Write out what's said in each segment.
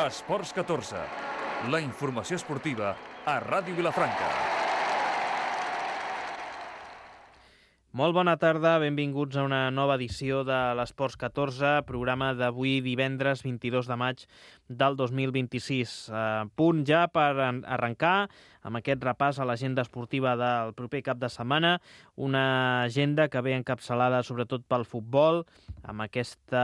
Esports 14, la informació esportiva a Ràdio Vilafranca. Molt bona tarda, benvinguts a una nova edició de l'Esports 14, programa d'avui divendres 22 de maig del 2026. Punt ja per arrencar amb aquest repàs a l'agenda esportiva del proper cap de setmana, una agenda que ve encapçalada sobretot pel futbol, amb aquest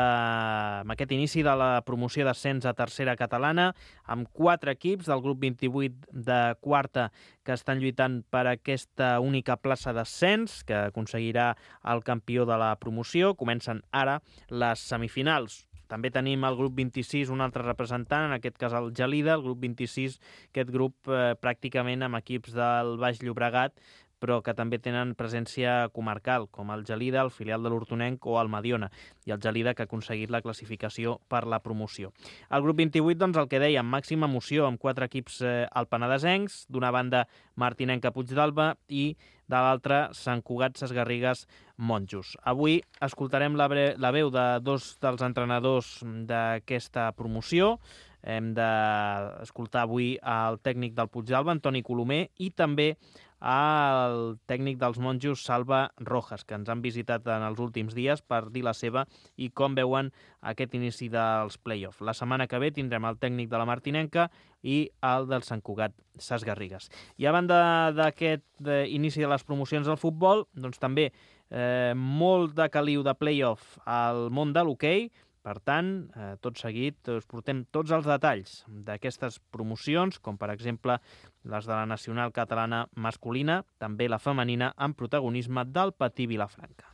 inici de la promoció d'ascens a tercera catalana, amb 4 equips del grup 28 de quarta que estan lluitant per aquesta única plaça d'ascens, que aconseguirà el campió de la promoció. Comencen ara les semifinals. També tenim el grup 26, un altre representant, en aquest cas el Gelida, el grup 26, aquest grup pràcticament amb equips del Baix Llobregat, però que també tenen presència comarcal, com el Gelida, el filial de l'Hortonenc o el Mediona, i el Gelida que ha aconseguit la classificació per la promoció. El grup 28, doncs el que dèiem, màxima emoció amb 4 equips alpenadesencs, d'una banda Martinenca Puigdàlber i de l'altra Sant Cugat Sesgarrigues Monjos. Avui escoltarem la veu de 2 dels entrenadors d'aquesta promoció. Hem d'escoltar avui el tècnic del Puigdàlber, Antoni Colomer, i també el tècnic dels Monjos, Salva Rojas, que ens han visitat en els últims dies per dir la seva i com veuen aquest inici dels play-off. La setmana que ve tindrem el tècnic de la Martinenca i el del Sant Cugat Sesgarrigues. I a banda d'aquest inici de les promocions del futbol, doncs també molt de caliu de play-off al món de l'hoquei. Per tant, tot seguit us portem tots els detalls d'aquestes promocions, com per exemple les de la nacional catalana masculina, també la femenina, amb protagonisme del Patí Vilafranca.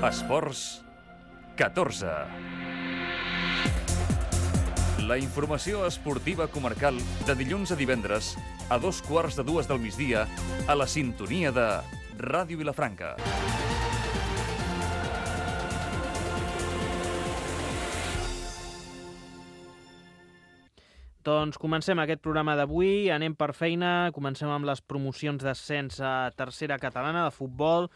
Esports 14. La informació esportiva comarcal de dilluns a divendres a 2:15 del migdia a la sintonia de Ràdio Vilafranca. Doncs comencem aquest programa d'avui, anem per feina, comencem amb les promocions d'ascens a tercera catalana de futbol.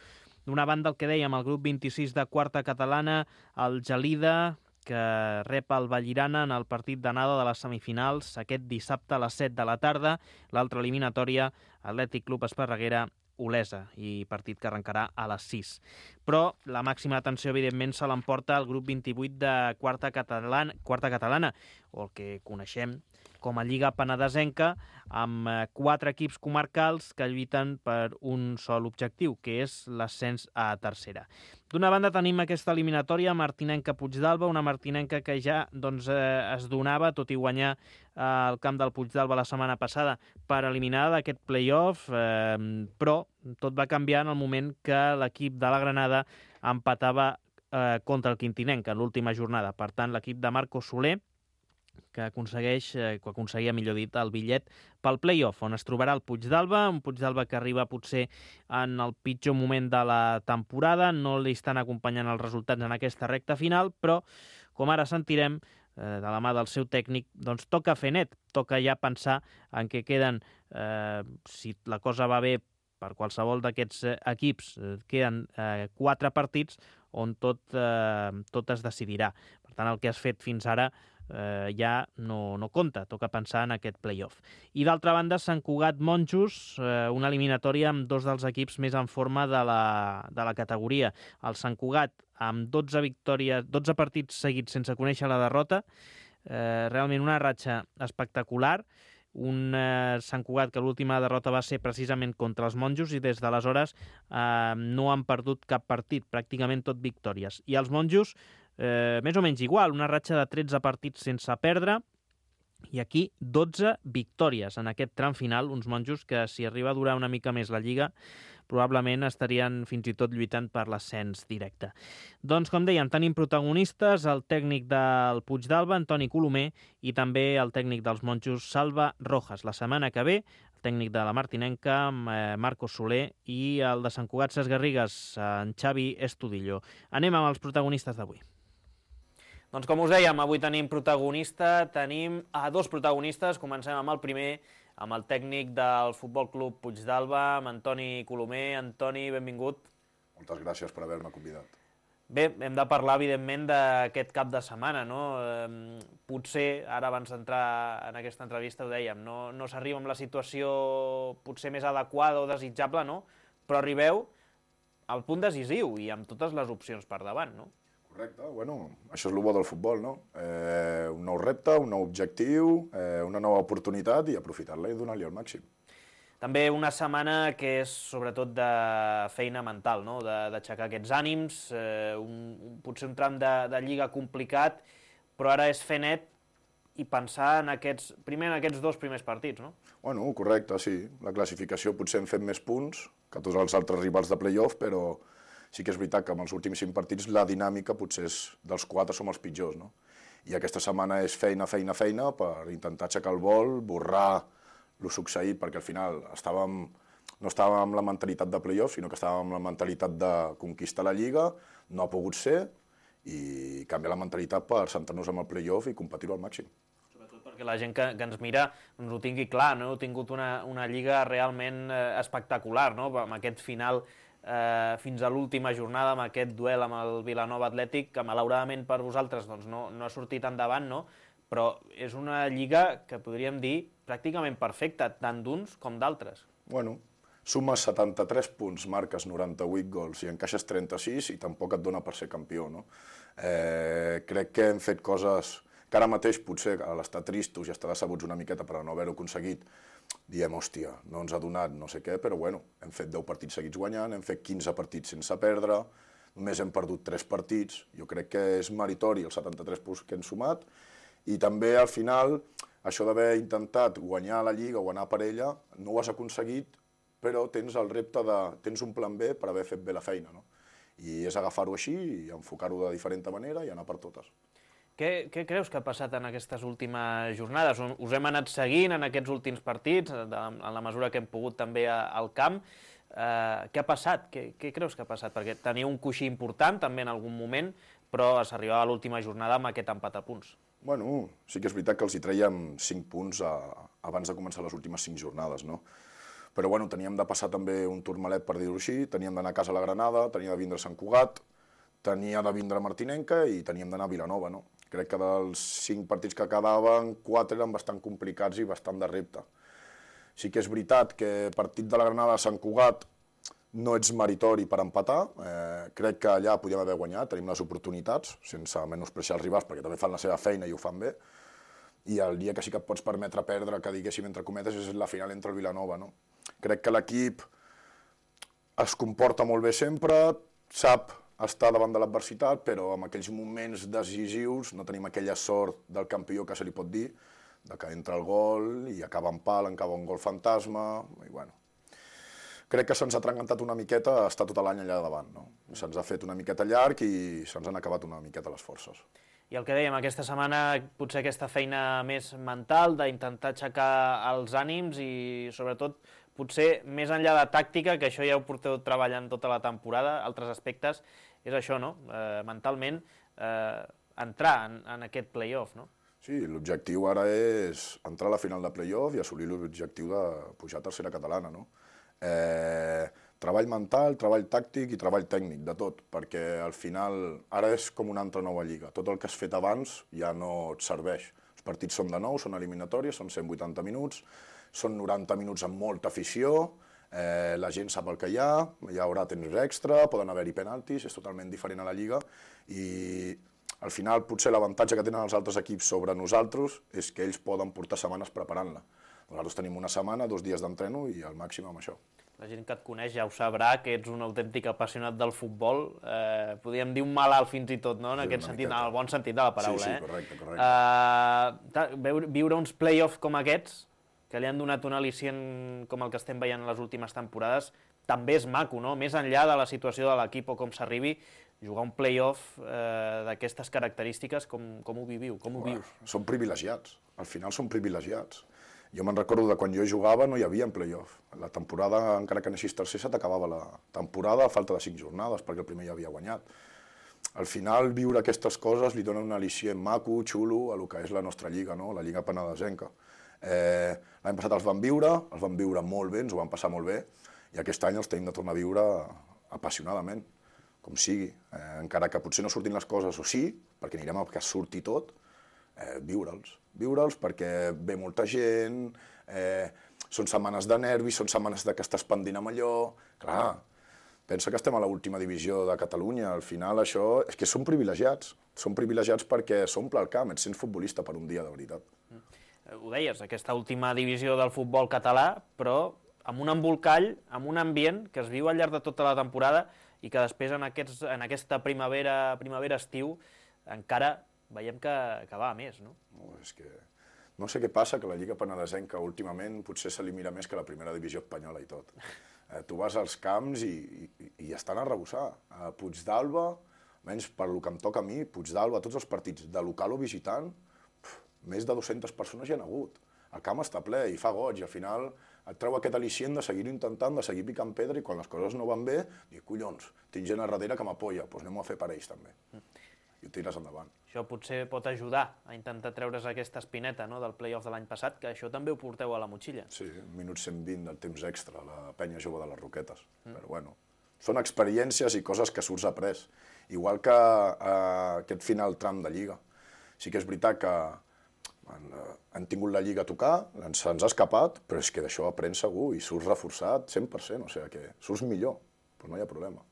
D'una banda, el que dèiem, el grup 26 de quarta catalana, el Gelida, que rep el Vallirana en el partit d'anada de les semifinals aquest dissabte a les 7 de la tarda. L'altra eliminatòria, Atlètic Club Esparreguera, Olesa, i partit que arrencarà a les 6. Però la màxima atenció, evidentment, se l'emporta el grup 28 de quarta catalana, o el que coneixem com a Lliga Penedesenca, amb 4 equips comarcals que lluiten per un sol objectiu, que és l'ascens a tercera. D'una banda tenim aquesta eliminatòria Martinenca-Puigdàlber, una Martinenca que ja es donava, tot i guanyar al camp del Puigdàlber la setmana passada, per eliminada d'aquest play-off, però tot va canviar en el moment que l'equip de la Granada empatava contra el Quintinenc en l'última jornada. Per tant, l'equip de Marco Soler, que aconseguia, millor dit, el bitllet pel play-off, on es trobarà el Puigdàlber, un Puigdàlber que arriba potser en el pitjor moment de la temporada, no li estan acompanyant els resultats en aquesta recta final, però, com ara sentirem, de la mà del seu tècnic, doncs toca fer net, toca ja pensar en què queden, si la cosa va bé per qualsevol d'aquests equips, queden 4 partits on tot es decidirà. Per tant, el que has fet fins ara ja no compta, toca pensar en aquest play-off. I d'altra banda, Sant Cugat Monjos, una eliminatòria amb 2 dels equips més en forma de la categoria. El Sant Cugat amb 12 partits seguits sense conèixer la derrota, realment una ratxa espectacular, un Sant Cugat que l'última derrota va ser precisament contra els Monjos i des d'aleshores no han perdut cap partit, pràcticament tot victòries. I els Monjos més o menys igual, una ratxa de 13 partits sense perdre, i aquí 12 victòries en aquest tram final, uns Monjos que si arriba a durar una mica més la Lliga probablement estarien fins i tot lluitant per l'ascens directe. Doncs com dèiem, tenim protagonistes, el tècnic del Puigdàlber, Antoni Colomer, i també el tècnic dels Monjos, Salva Rojas. La setmana que ve, el tècnic de la Martinenca, Marcos Soler, i el de Sant Cugat Sesgarrigues, en Xavi Estudillo. Anem amb els protagonistes d'avui. Doncs com us dèiem, avui tenim a 2 protagonistes. Comencem amb el primer, amb el tècnic del Futbol Club Puigdàlber, amb Antoni Colomer. Antoni, benvingut. Moltes gràcies per haver-me convidat. Bé, hem de parlar, evidentment, d'aquest cap de setmana, no? Potser, ara abans d'entrar en aquesta entrevista ho dèiem, no s'arriba amb la situació potser més adequada o desitjable, no? Però arribeu al punt decisiu i amb totes les opcions per davant, no? Correcte, bueno, això és el bo del futbol, no? Un nou repte, un nou objectiu, una nova oportunitat i aprofitar-la i donar-li el màxim. També una setmana que és sobretot de feina mental, no? D'aixecar aquests ànims, potser un tram de lliga complicat, però ara és fer net i pensar en primer en aquests 2 primers partits, no? Bueno, correcte, sí. La classificació potser hem fet més punts que tots els altres rivals de play-off, però sí que és veritat que amb els últims 5 partits la dinàmica potser és dels 4 som els pitjors, no? I aquesta setmana és feina per intentar aixecar el vol, borrar el succeït, perquè al final no estàvem amb la mentalitat de play-off, sinó que estàvem amb la mentalitat de conquistar la Lliga, no ha pogut ser, i canviar la mentalitat per centrar-nos en el play-off i competir-ho al màxim. Sobretot perquè la gent que ens mira doncs ho tingui clar, no? Heu tingut una Lliga realment espectacular, no? Amb aquest final fins a l'última jornada, amb aquest duel amb el Vilanova Atlètic, que malauradament per vosaltres doncs, no ha sortit endavant, no? Però és una lliga que podríem dir pràcticament perfecta, tant d'uns com d'altres. Bueno, sumes 73 punts, marques 98 gols i encaixes 36 i tampoc et dona per ser campió, no? Crec que hem fet coses que ara mateix potser a l'estar tristos i estar decebuts una miqueta per no haver-ho aconseguit, diem, hòstia, no ens ha donat no sé què, però bueno, hem fet 10 partits seguits guanyant, hem fet 15 partits sense perdre, només hem perdut 3 partits, jo crec que és meritori els 73 punts que hem sumat, i també al final això d'haver intentat guanyar la Lliga o anar per ella, no ho has aconseguit, però tens el repte tens un plan B per haver fet bé la feina, no? I és agafar-ho així i enfocar-ho de diferent manera i anar per totes. Què creus que ha passat en aquestes últimes jornades? Us hem anat seguint en aquests últims partits, en la mesura que hem pogut també al camp. Què ha passat? Què creus que ha passat? Perquè teniu un coixí important també en algun moment, però s'arribava a l'última jornada amb aquest empat a punts. Bueno, sí que és veritat que els hi traiem 5 punts abans de començar les últimes 5 jornades, no? Però bueno, teníem de passar també un turmalet, per dir-ho així, teníem d'anar a casa a la Granada, teníem de vindre a Sant Cugat, tenia de vindre a Martinenca i teníem d'anar a Vilanova, no? Crec que dels 5 partits que quedaven, 4 eren bastant complicats i bastant de repte. Sí que és veritat que partit de la Granada a Sant Cugat no ets meritori per empatar, crec que allà podíem haver guanyat, tenim les oportunitats, sense menospreciar els rivals, perquè també fan la seva feina i ho fan bé, i el dia que sí que et pots permetre perdre, que diguéssim entre cometes, és la final entre el Vilanova, no? Crec que l'equip es comporta molt bé sempre, sap estar davant de l'adversitat, però en aquells moments decisius no tenim aquella sort del campió que se li pot dir, de que entra el gol i acaba en pal, acaba un gol fantasma, i bueno. Crec que se'ns ha trencantat una miqueta estar tot l'any allà davant, no? Se'ns ha fet una miqueta llarg i se'ns han acabat una miqueta les forces. I el que dèiem, aquesta setmana potser aquesta feina més mental, d'intentar aixecar els ànims i sobretot potser més enllà de tàctica, que això ja ho porteu treballant tota la temporada, altres aspectes, és això, no? Mentalment, entrar en aquest play-off, no? Sí, l'objectiu ara és entrar a la final de play-off i assolir l'objectiu de pujar a tercera catalana, no? Treball mental, treball tàctic i treball tècnic, de tot, perquè al final ara és com una altra nova lliga. Tot el que has fet abans ja no et serveix. Els partits són de nou, són eliminatòries, són 180 minuts, són 90 minuts amb molta afició, la gent sap el que hi haurà temps extra, poden haver-hi penaltis, és totalment diferent a la lliga i al final potser l'avantatge que tenen els altres equips sobre nosaltres és que ells poden portar setmanes preparant-la. Nosaltres tenim una setmana, 2 dies d'entreno i al màxim amb això. La gent que et coneix ja ho sabrà, que ets un autèntic apassionat del futbol. Podríem dir un malalt fins i tot, no? En aquest sentit, en el bon sentit de la paraula. Sí, correcte. Viure uns play-offs com aquests, que li han donat un al·licient com el que estem veient en les últimes temporades, també és maco, no? Més enllà de la situació de l'equip o com s'arribi, jugar un play-off d'aquestes característiques, com ho viviu? Com ho vius? Som privilegiats, al final som privilegiats. Jo me'n recordo de quan jo jugava no hi havia play-off. La temporada, encara que anessis tercer, se t'acabava la temporada a falta de 5 jornades, perquè el primer ja havia guanyat. Al final, viure aquestes coses li dona un al·licient maco, xulo, a lo que és la nostra lliga, no? La lliga penedesenca. L'any passat els vam viure molt bé, ens ho vam passar molt bé, i aquest any els tenim de tornar a viure apassionadament. com sigui, encara que potser no surtin les coses o sí, perquè anirem a que surti tot, viure'ls perquè ve molta gent, són setmanes de nervis, són setmanes que estàs pendint amb allò, clar, pensa que estem a l'última divisió de Catalunya, al final això és que som privilegiats perquè s'omple el camp, ets sent futbolista per un dia, de veritat. Ho deies, aquesta última divisió del futbol català, però amb un embolcall, amb un ambient que es viu al llarg de tota la temporada i que després en aquesta primavera-estiu encara veiem que va a més, no? És que no sé què passa, que la Lliga Penedesenca últimament potser se li mira més que la primera divisió espanyola i tot. Tu vas als camps i estan a rebussar. A Puigdàlber, almenys per lo que em toca a mi, Puigdàlber, tots els partits de local o visitant, més de 200 persones hi ha hagut. El camp està ple i fa goig, i al final et treu aquest al·licient de seguir-ho intentant, de seguir picant pedra, i quan les coses no van bé, dius, collons, tinc gent a darrere que m'apoya, doncs anem a fer per ells també. I ho tires endavant. Això potser pot ajudar a intentar treure's aquesta espineta, no?, del play-off de l'any passat, que això també ho porteu a la motxilla. Sí, minut 120 del temps extra, la penya jove de les Roquetes. Però bueno, són experiències i coses que surts après. Igual que aquest final tram de Lliga. Sí que és veritat que han tingut la Lliga a tocar, se'ns ha escapat, però és que d'això aprens segur i surts reforçat 100%, o sigui que surts millor, però no hi ha problema.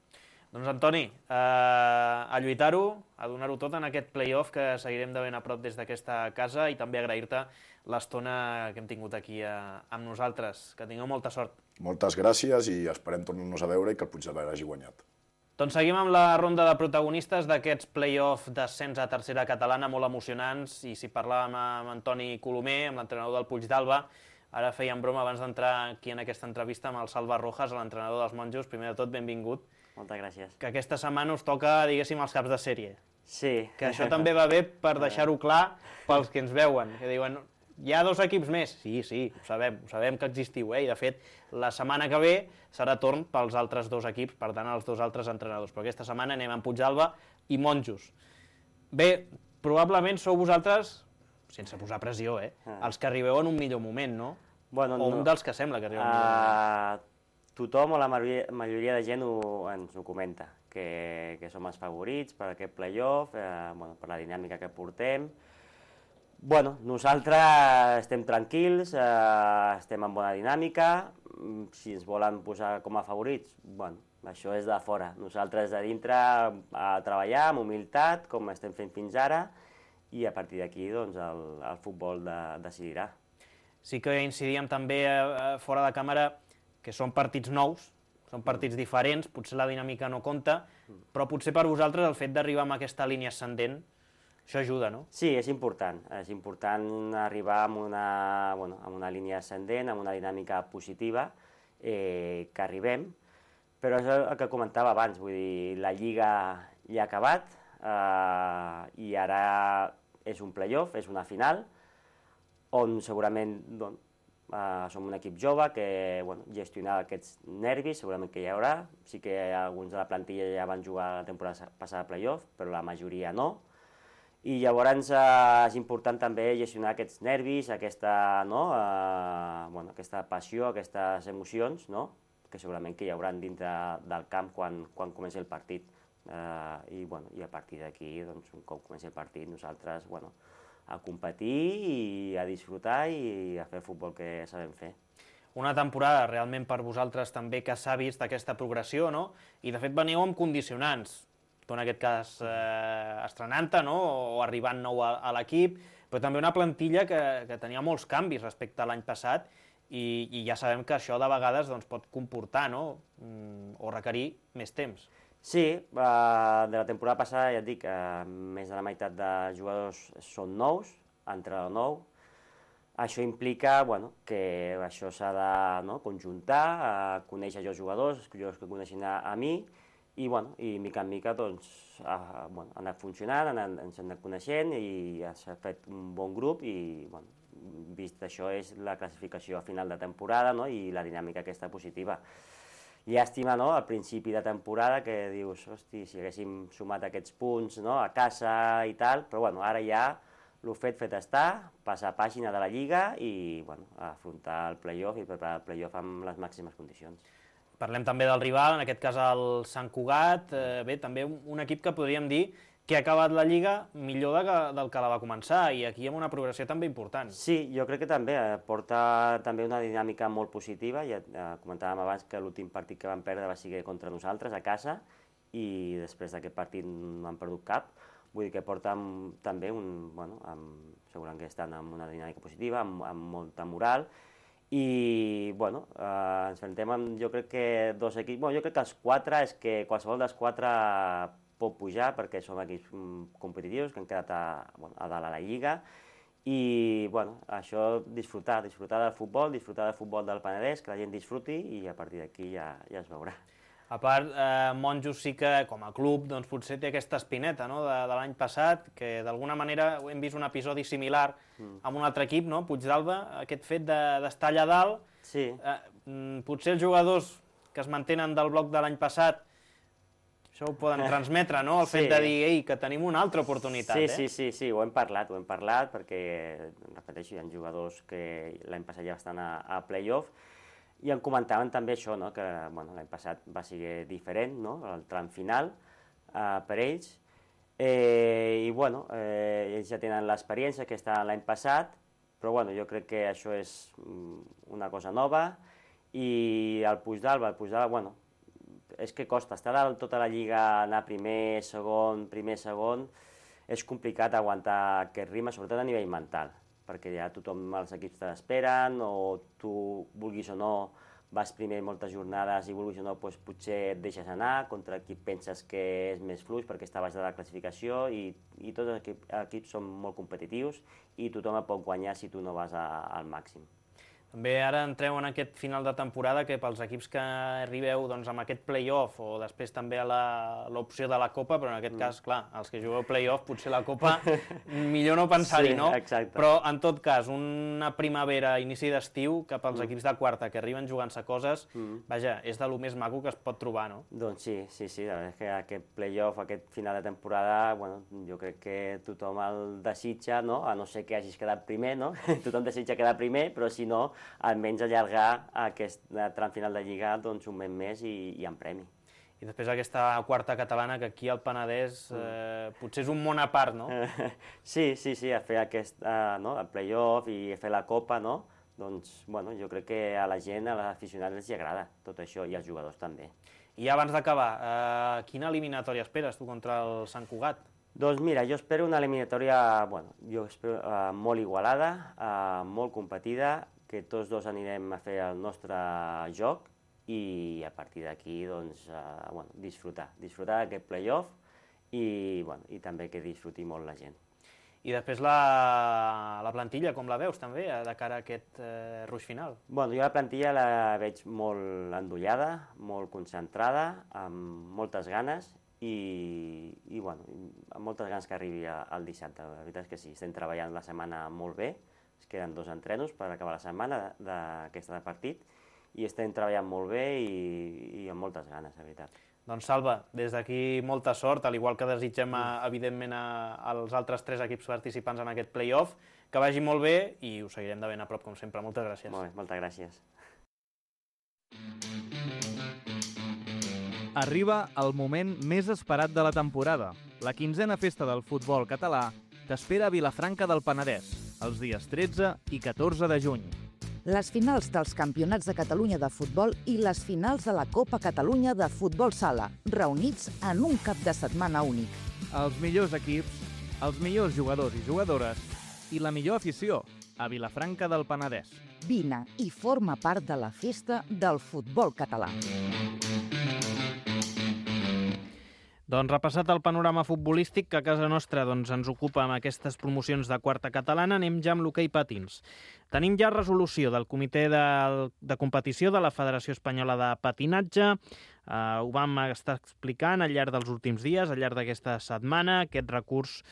Doncs Antoni, a lluitar-ho, a donar-ho tot en aquest play-off que seguirem de ben a prop des d'aquesta casa, i també agrair-te l'estona que hem tingut aquí amb nosaltres. Que tingueu molta sort. Moltes gràcies i esperem tornar-nos a veure i que el Puigdàlber hagi guanyat. Doncs seguim amb la ronda de protagonistes d'aquests play-off d'ascens a tercera catalana molt emocionants, i si parlàvem amb Antoni Colomer, amb l'entrenador del Puigdàlber, ara fèiem broma abans d'entrar aquí en aquesta entrevista amb el Salva Rojas, l'entrenador dels monjos. Primer de tot, benvingut. Moltes gràcies. Que aquesta setmana us toca, diguéssim, els caps de sèrie. Sí. Que això també va bé per deixar-ho clar pels que ens veuen, que diuen, hi ha 2 equips més? Sí, ho sabem que existiu, i de fet, la setmana que ve serà torn pels altres 2 equips, per tant, els 2 altres entrenadors. Però aquesta setmana anem amb Puigdàlber i Monjos. Bé, probablement sou vosaltres, sense posar pressió, els que arribeu en un millor moment, no? Bueno, o un dels que sembla que arribeu en un millor moment. Tothom o la majoria de gent ens ho comenta, que som els favorits per aquest play-off, per la dinàmica que portem. Bueno, nosaltres estem tranquils, estem en bona dinàmica. Si ens volen posar com a favorits, bueno, això és de fora. Nosaltres de dintre a treballar amb humilitat, com estem fent fins ara, i a partir d'aquí doncs, el futbol decidirà. Sí que incidíem també fora de càmera que són partits nous, són partits diferents, potser la dinàmica no compta, però potser per vosaltres el fet d'arribar amb aquesta línia ascendent, això ajuda, no? Sí, és important arribar amb una línia ascendent, amb una dinàmica positiva, que arribem, però és el que comentava abans, vull dir, la Lliga ja ha acabat, i ara és un play-off, és una final, on segurament som un equip jove que gestionar aquests nervis segurament que hi haurà. Sí que alguns de la plantilla ja van jugar la temporada passada a play-off, però la majoria no. I llavors és important també gestionar aquests nervis, aquesta passió, aquestes emocions, que segurament que hi haurà dintre del camp quan comenci el partit. I a partir d'aquí, un cop comenci el partit, nosaltres a competir i a disfrutar i a fer el futbol que sabem fer. Una temporada realment per vosaltres també que s'ha vist aquesta progressió, no? I de fet veniu amb condicionants. Tu en aquest cas estrenant-te, no? O arribant nou a l'equip, però també una plantilla que tenia molts canvis respecte a l'any passat, i ja sabem que això de vegades pot comportar, no? O requerir més temps. Sí, de la temporada passada ja et dic, més de la meitat de jugadors són nous, entrenador nou. Això implica que això s'ha de conjuntar, conèixer els jugadors que coneixen a mi, i mica en mica han anat funcionant, ens han anat coneixent i s'ha fet un bon grup, i vist això és la classificació a final de temporada i la dinàmica aquesta positiva. Llàstima, al principi de temporada, que dius, hosti, si haguéssim sumat aquests punts a casa i tal, però ara ja el fet està, passar pàgina de la Lliga i afrontar el play-off i preparar el play-off amb les màximes condicions. Parlem també del rival, en aquest cas el Sant Cugat, bé, també un equip que podríem dir que ha acabat la Lliga millor del que la va començar, i aquí amb una progressió també important. Sí, jo crec que també porta també una dinàmica molt positiva. Ja comentàvem abans que l'últim partit que vam perdre va ser contra nosaltres, a casa, i després d'aquest partit no han perdut cap. Vull dir que porten també segurament que estan amb una dinàmica positiva, amb molta moral, i ens enfrontem amb, jo crec que dos equips, jo crec que els quatre, és que qualsevol dels quatre pot pujar, perquè som equips competitius que han quedat a dalt a la Lliga, i això, disfrutar del futbol del Penedès, que la gent disfruti, i a partir d'aquí ja es veurà. A part, Monjos sí que, com a club, doncs potser té aquesta espineta de l'any passat, que d'alguna manera hem vist un episodi similar amb un altre equip, Puigdàlber, aquest fet d'estar allà dalt. Sí. Potser els jugadors que es mantenen del bloc de l'any passat això ho poden transmetre, el fet de dir que tenim una altra oportunitat. Sí, ho hem parlat, perquè, repeteixo, hi ha jugadors que l'any passat ja estan a play-off, i em comentaven també això, que l'any passat va ser diferent, el tram final per ells, i ells ja tenen l'experiència que està l'any passat, però jo crec que això és una cosa nova, i el Puigdàlber, és que costa estar dalt tota la Lliga, anar primer, segon, és complicat aguantar aquest ritme, sobretot a nivell mental, perquè ja tothom, els equips te l'esperen, o tu, vulguis o no, vas primer moltes jornades i vulguis o no, potser et deixes anar, contra qui penses que és més fluix perquè està baix de la classificació, i tots els equips són molt competitius i tothom et pot guanyar si tu no vas al màxim. També ara entreu en aquest final de temporada que pels equips que arribeu amb aquest play-off, o després també a l'opció de la Copa, però en aquest cas, clar, els que jugueu play-off, potser la Copa, millor no pensar-hi, no? Exacte. Però, en tot cas, una primavera, inici d'estiu, que pels equips de quarta que arriben jugant-se coses, vaja, és de lo més maco que es pot trobar, no? Doncs sí, la veritat és que aquest play-off, aquest final de temporada, jo crec que tothom el desitja, a no ser que hagis quedat primer, no? Tothom desitja quedar primer, però si no, almenys allargar aquest tram final de Lliga un mes més i en premi. I després aquesta quarta catalana, que aquí al Penedès potser és un món a part, no? Sí, a fer el play-off i fer la Copa, doncs jo crec que a la gent, a l'aficionat, els agrada tot això, i als jugadors també. I abans d'acabar, quina eliminatòria esperes tu contra el Sant Cugat? Doncs mira, jo espero una eliminatòria molt igualada, molt competida, que tots dos anirem a fer el nostre joc, i a partir d'aquí disfrutar d'aquest play-off, i també que disfruti molt la gent. I després la plantilla, com la veus també, de cara a aquest ruix final? Jo la plantilla la veig molt endollada, molt concentrada, amb moltes ganes, i amb moltes ganes que arribi el dissabte. La veritat és que sí, estem treballant la setmana molt bé, es queden 2 entrenos per acabar la setmana d'aquesta de partit, i estem treballant molt bé i amb moltes ganes, la veritat. Doncs Salva, des d'aquí molta sort, al igual que desitgem evidentment als altres 3 equips participants en aquest play-off, que vagi molt bé i us seguirem de ben a prop, com sempre. Moltes gràcies. Molt bé, moltes gràcies. Arriba el moment més esperat de la temporada. La 15a festa del futbol català t'espera a Vilafranca del Penedès, els dies 13 i 14 de juny. Les finals dels Campionats de Catalunya de futbol i les finals de la Copa Catalunya de futbol sala, reunits en un cap de setmana únic. Els millors equips, els millors jugadors i jugadores i la millor afició a Vilafranca del Penedès. Vine i forma part de la festa del futbol català. Doncs repassat el panorama futbolístic que a casa nostra ens ocupa amb aquestes promocions de quarta catalana, anem ja amb l'hoquei patins. Tenim ja resolució del comitè de competició de la Federació Espanyola de Patinatge. Ho vam estar explicant al llarg dels últims dies, al llarg d'aquesta setmana, aquest recurs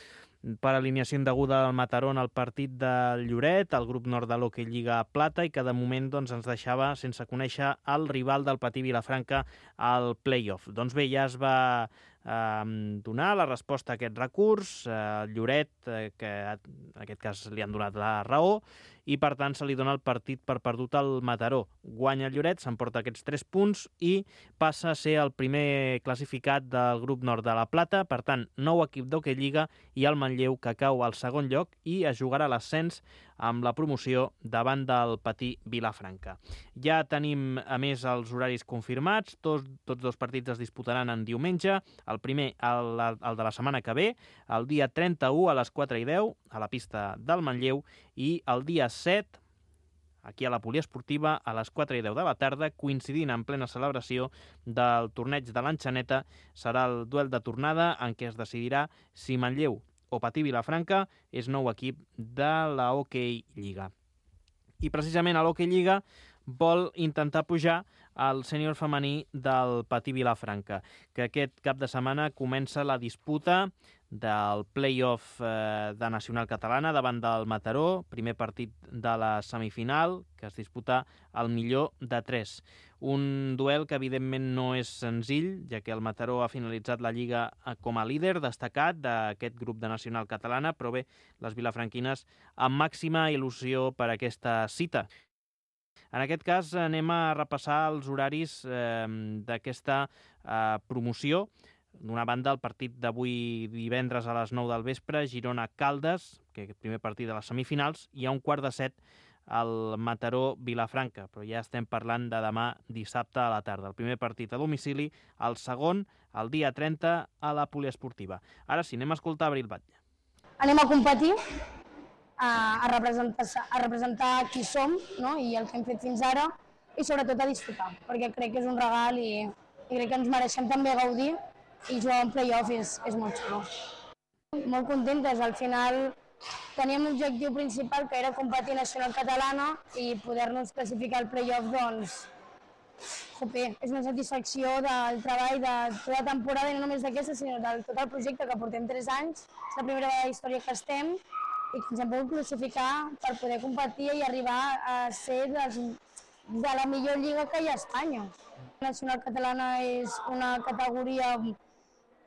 per alineació indeguda del Mataró en el partit del Lloret, el grup nord de l'Hockey Lliga Plata, i que de moment ens deixava sense conèixer el rival del Patí Vilafranca al play-off. Doncs bé, ja es va donar la resposta a aquest recurs. Lloret, que en aquest cas li han donat la raó, i per tant se li dona el partit per perdut al Mataró. Guanya el Lloret, s'emporta aquests 3 punts i passa a ser el primer classificat del grup nord de la Plata. Per tant, nou equip d'Hockey Lliga i el Manlleu, que cau al segon lloc i es jugarà l'ascens amb la promoció davant del Patí Vilafranca. Ja tenim, a més, els horaris confirmats. Tots 2 partits es disputaran en diumenge. El primer, el de la setmana que ve, el dia 31 a les 4:10 a la pista del Manlleu, i el dia 7, aquí a la poliesportiva, a les 4:10 de la tarda, coincidint en plena celebració del torneig de l'Enxaneta, serà el duel de tornada en què es decidirà si Manlleu o Patí Vilafranca és nou equip de la Hockey Lliga. I precisament a l'Hockey Lliga vol intentar pujar al sènior femení del Patí Vilafranca, que aquest cap de setmana comença la disputa del play-off de Nacional Catalana davant del Mataró, primer partit de la semifinal, que es disputa al millor de 3. Un duel que evidentment no és senzill, ja que el Mataró ha finalitzat la Lliga com a líder destacat d'aquest grup de Nacional Catalana, però bé, les vilafranquines amb màxima il·lusió per aquesta cita. En aquest cas anem a repassar els horaris d'aquesta promoció. D'una banda, el partit d'avui divendres a les 9 del vespre, Girona-Caldes, que és el primer partit de les semifinals, i a 6:15 el Mataró-Vilafranca, però ja estem parlant de demà dissabte a la tarda. El primer partit a domicili, el segon, el dia 30, a la poliesportiva. Ara sí, anem a escoltar Abril Batlle. Anem a competir, a representar qui som, no? I el que hem fet fins ara, i sobretot a disfrutar, perquè crec que és un regal i crec que ens mereixem també gaudir, i jugar en play-off és molt xulo. Molt contentes, al final teníem l'objectiu principal, que era competir nacional catalana, i poder-nos classificar al play-off, doncs, és una satisfacció del treball de tota la temporada, i no només d'aquesta, sinó de tot el projecte, que portem 3 anys. És la primera vegada de la història que estem, i que ens hem pogut classificar per poder competir i arribar a ser de la millor lliga que hi ha a Espanya. La nacional catalana és una categoria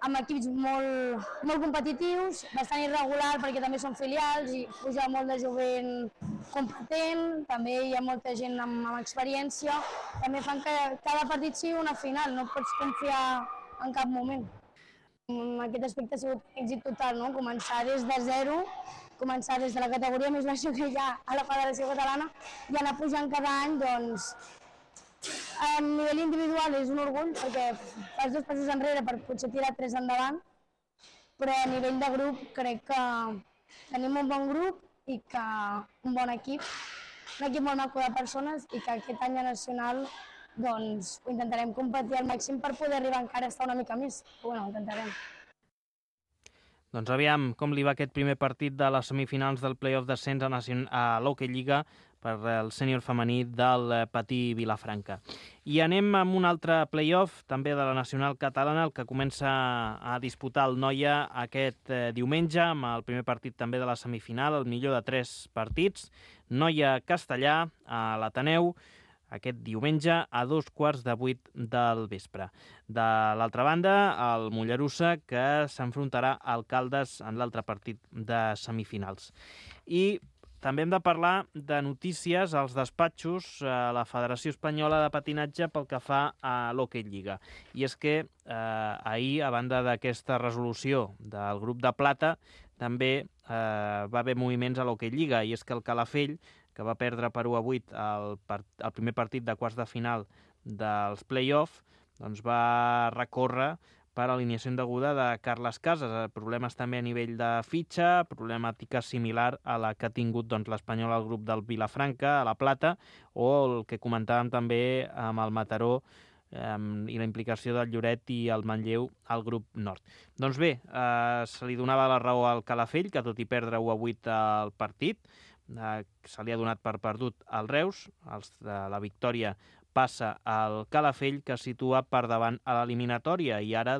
amb equips molt competitius, bastant irregular perquè també són filials i puja molt de jovent competent, també hi ha molta gent amb experiència, també fan que cada partit sigui una final, no pots confiar en cap moment. En aquest aspecte ha sigut èxit total, no? Començar des de zero, començar des de la categoria més baixa que hi ha a la Federació Catalana i anar pujant cada any, doncs, a nivell individual és un orgull perquè fas 2 passos enrere per potser tirar 3 endavant, però a nivell de grup crec que tenim un bon grup i que un bon equip, un equip molt maco de persones, i que aquest any a Nacional doncs ho intentarem competir al màxim per poder arribar encara a estar una mica més. Bueno, ho intentarem. Doncs aviam com li va aquest primer partit de les semifinals del play-off d'ascens a l'Hockey Lliga per el sènior femení del Patí Vilafranca. I anem amb un altre play-off, també de la Nacional Catalana, el que comença a disputar el Noia aquest diumenge, amb el primer partit també de la semifinal, el millor de 3 partits. Noia-Castellà a l'Ateneu, aquest diumenge a 7:15 del vespre. De l'altra banda, el Mollerussa, que s'enfrontarà al Caldes en l'altre partit de semifinals. I també hem de parlar de notícies als despatxos a la Federació Espanyola de Patinatge pel que fa a l'Hockey Lliga. I és que ahir, a banda d'aquesta resolució del grup de plata, també va haver moviments a l'Hockey Lliga, i és que el Calafell, que va perdre per 1-8 el primer partit de quarts de final dels play-off, doncs va recórrer per alineació indeguda de Carles Casas. Problemes també a nivell de fitxa, problemàtica similar a la que ha tingut l'Espanyol al grup del Vilafranca, a la Plata, o el que comentàvem també amb el Mataró i la implicació del Lloret i el Manlleu al grup nord. Doncs bé, se li donava la raó al Calafell, que tot i perdre 1-8 el partit, se li ha donat per perdut al Reus. La victòria passa al Calafell, que es situa per davant a l'eliminatòria, i ara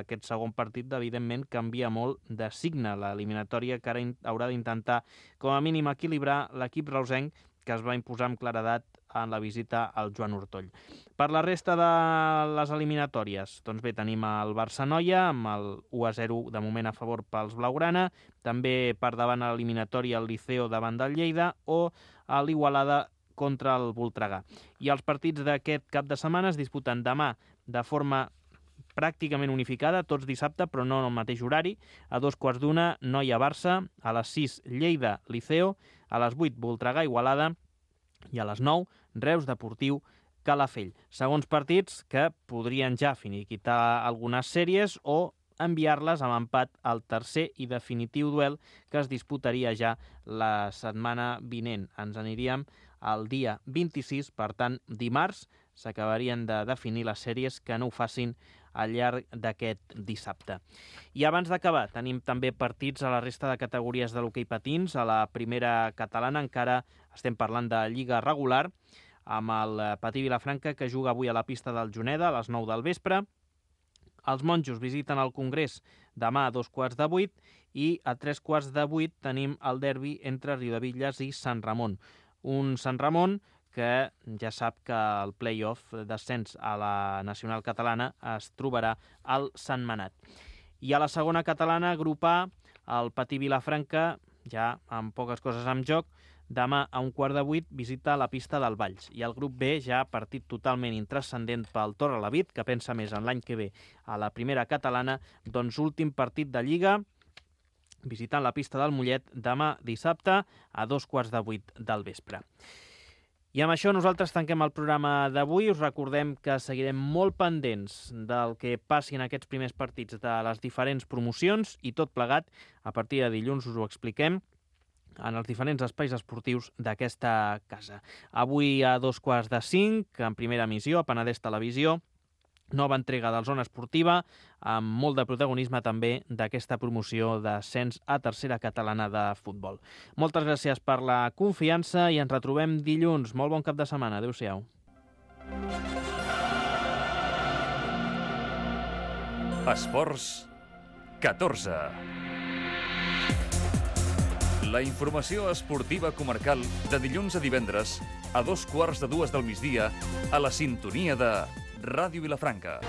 aquest segon partit evidentment canvia molt de signe. L'eliminatòria que ara haurà d'intentar com a mínim equilibrar l'equip reusenc, que es va imposar amb claredat en la visita al Joan Ortoll. Per la resta de les eliminatòries, doncs bé, tenim el Barça-Noia amb el 1-0 de moment a favor pels blaugrana, també per davant a l'eliminatòria el Liceo davant del Lleida o a l'Igualada contra el Voltregà. I els partits d'aquest cap de setmana es disputen demà de forma pràcticament unificada, tots dissabte, però no en el mateix horari. A 2:15, Noia-Barça, a les 6, Lleida-Liceo, a les 8, Voltregà-Igualada i a les 9, Reus-Deportiu-Calafell. Segons partits que podrien ja finiquitar algunes sèries o enviar-les a l'empat al tercer i definitiu duel que es disputaria ja la setmana vinent. Ens aniríem al dia 26, per tant, dimarts s'acabarien de definir les sèries que no ho facin al llarg d'aquest dissabte. I abans d'acabar, tenim també partits a la resta de categories de l'hoquei patins. A la primera catalana encara estem parlant de lliga regular, amb el Patí Vilafranca, que juga avui a la pista del Juneda a les 9 del vespre. Els monjos visiten el Congrés demà a 7:15 i a 7:15 tenim el derbi entre Riudebitlles i Sant Ramon. Un Sant Ramon que ja sap que el play-off d'ascens a la nacional catalana es trobarà al Sentmenat. I a la segona catalana, grup A, el Patí Vilafranca, ja amb poques coses en joc, demà a 7:15 visita la pista del Valls. I el grup B, ja partit totalment intranscendent pel Torrelavit, que pensa més en l'any que ve a la primera catalana, doncs últim partit de Lliga, visitant la pista del Mollet demà dissabte a 7:15 del vespre. I amb això nosaltres tanquem el programa d'avui. Us recordem que seguirem molt pendents del que passi en aquests primers partits de les diferents promocions i tot plegat, a partir de dilluns us ho expliquem en els diferents espais esportius d'aquesta casa. Avui a 4:45, en primera emissió, a Penedès Televisió, nova entrega del Zona Esportiva, amb molt de protagonisme també d'aquesta promoció d'ascens a tercera catalana de futbol. Moltes gràcies per la confiança i ens retrobem dilluns. Molt bon cap de setmana. Adéu-siau. Esports 14. La informació esportiva comarcal de dilluns a divendres a 2:15 del migdia a la sintonia de Ràdio Vilafranca.